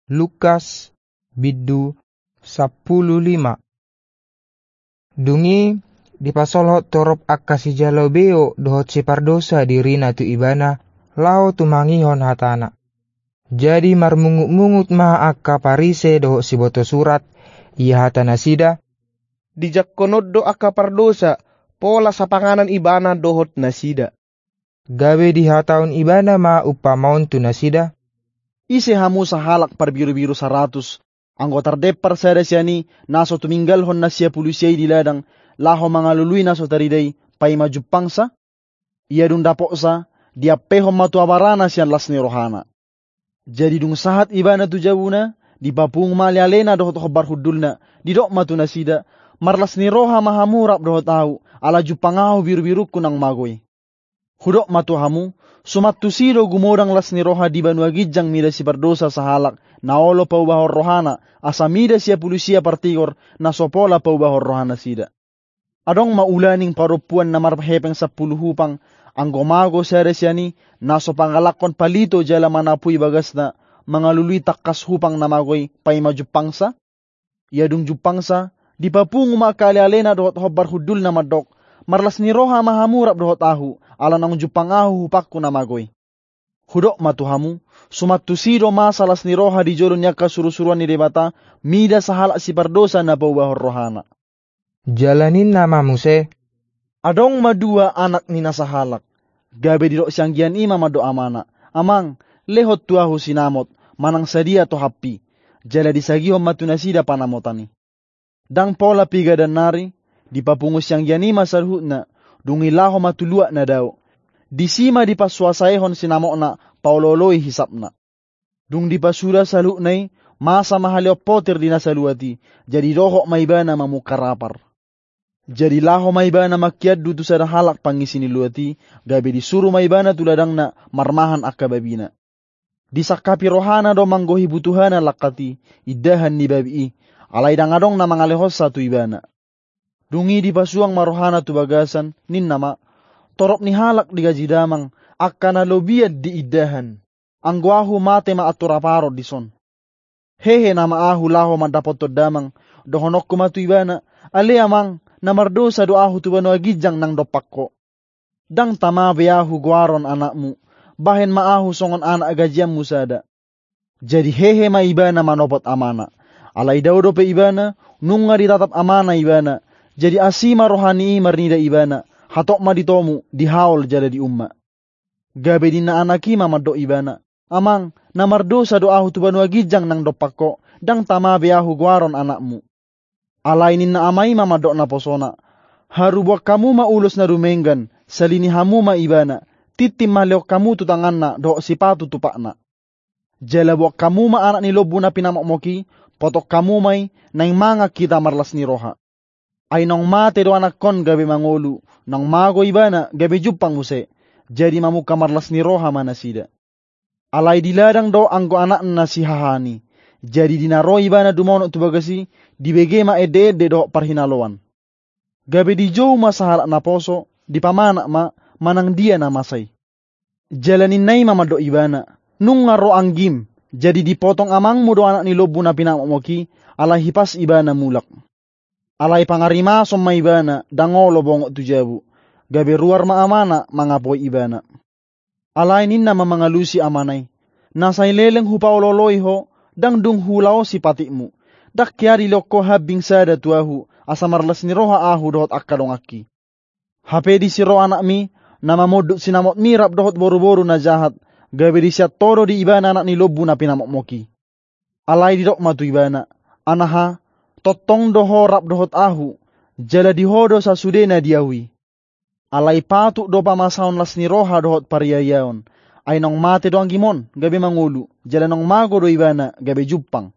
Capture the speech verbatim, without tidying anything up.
Lukas, bindu sampulu lima. Dung i dipasolhot torop angka sijalo beo dohot sipardosa dirina tu ibana, laho tumangihon hatana. Jadi marmungut-mungut ma angka Parise dohot siboto surat, ia hata nasida. Dijangkon on do angka pardosa, pola sapanganan ibana dohot nasida. Gabe dihatahon ibana ma umpama on tu nasida. Ise hamu sahalak parbirubiru saratus, anggo tardempar sada sian i na so tuminggalhon na sia pulu sia i di ladang, laho mangalului na so tarida i, paima jumpangsa? Ia dung dapotsa, diampehon ma tu abarana sian las ni rohana. Jadi dung sahat ibana tu jabuna, dipapungu ma alealena dohot hombar hundulna, didok ma tu nasida, marlas ni roha ma hamu rap dohot ahu, ala jumpang ahu birubirungku naung mago i. Hudok ma tu hamu, suman tusi do gumodang las ni roha di banua ginjang mida sipardosa sahalak, na olo paubahon rohana, asa mida sia pulu sia partigor, na so pola paubahon rohanasida. Adong ma ulaning parompuan na marhepeng sampulu hupang, anggo mago sada sian i, na so pangalakkon palito jala manapui bagasna, mangalului tangkas hupang na mago i, paima jumpangsa? Ia dung jumpangsa, dipapungu ma angka alealena dohot hombar hundulna mandok, marlas ni roha ma hamu rap dohot ahu, ala naung jumpang ahu hupangku na mago i. Hudok ma tu hamu, suman tusi do masa las ni roha di jolo ni angka surusuruan ni Debata, mida sahalak sipardosa na paubahon rohana. Jala ninna ma muse. Adong ma dua anak ni na sahalak. Gabe didok sianggian i ma mandok amana, amang, lehon tu ahu sinamot, manang sadia tohap i. Jala disagihon ma tu nasida panamotan i. Ndang pola piga dan nari, dipapungu sianggian i ma saluhutna, dung i laho ma tu luat na dao. Disi ma dipasuasaehon sinamotna, paolooloi hisapna. Dung dipasuda saluhutna i, masa ma haleon potir di na saluat i, jadi dohot ma ibana mamungka rapar. Jadi laho ma ibana mangkiandu tu sada halak pangisi ni luat i, gabe disuru ma ibana tu ladangna marmahan angka babina. Disangkapi rohana do manggohi butuhana langkat i, indahan ni babi i, alai ndang adong na mangalehonsa tu ibana. Dung i dipasuang ma rohana tu bagasan, ninna ma, torop ni halak digaji damang, angka na lobian di indahan. Anggo ahu mate ma antu raparon dison. Hehe nama ahu laho mandapothon damang, dohononku ma tu ibana, ale amang, na mardosa do ahu tu banua ginjang nang dompak ho. Ndang tama be ahu goaron anakmu, bahen ma ahu songon anak gajianmu sada. Jadi hehe ma ibana manopot amana. Alai dao dope ibana, nunga ditatap amana ibana. Jadi asi ma roha ni i marnida ibana, hatop ma ditomu, dihaol jala diumma. Gabe ninna anak i ma mandok ibana, amang, na mardosa do ahu tu banua ginjang nang dompak ho, ndang tama be ahu goaron anakmu. Alai ninna ama i ma mandok naposona, haru boan hamu ma ulos na dumenggan, salini hamu ma ibana, tintin ma lehon hamu tu tanganna dohot sipatu tu patna. Jala boan hamu ma anak ni lombu na pinamokmok i, potok hamu ma i, naeng mangan hita marlas ni roha. Ai naung mate do anakkon gabe mangolu, naung mago ibana gabe jumpang muse, jadi mamungka marlas ni roha ma nasida. Alai di ladang do anggo anakna si hahaan i, jadi di na ro ibana dumonok tu bagas i, dibege ma endeende dohot parhinaloan. Gabe dijou ma sahalak naposo, dipamanak ma, manang dia na masa i. Jala ninna i ma mandok ibana, nunga ro anggim, jadi dipotong amangmu do anak ni lombu na pinamokmok i, alai hipas ibana mulak. Alai pangarimason ma ibana, ndang olo bongot tu jabu, gabe ruar ma amana mangapoi ibana. Alai ninna ma mangalusi amana i, na sai leleng hupaolooloi ho, ndang dung huulaosi patikmu, ndang hea dilehon ho hambing sada tu ahu, asa marlas ni roha ahu dohot angka donganki. Hape disi ro anakmi, na mamondut sinamotmi rap dohot boruboru na jahat, gabe disian ho do di ibana anak ni lombu na pinamokmok i. Alai didok ma tu ibana, anaha, tongtong do ho rap dohot ahu, jala di ho do sasudena di ahu i. Alai patut do pamasaon las ni roha dohot pariayaon, ai naung mate do anggim on, gabe mangolu, jala naung mago do ibana, gabe jumpang.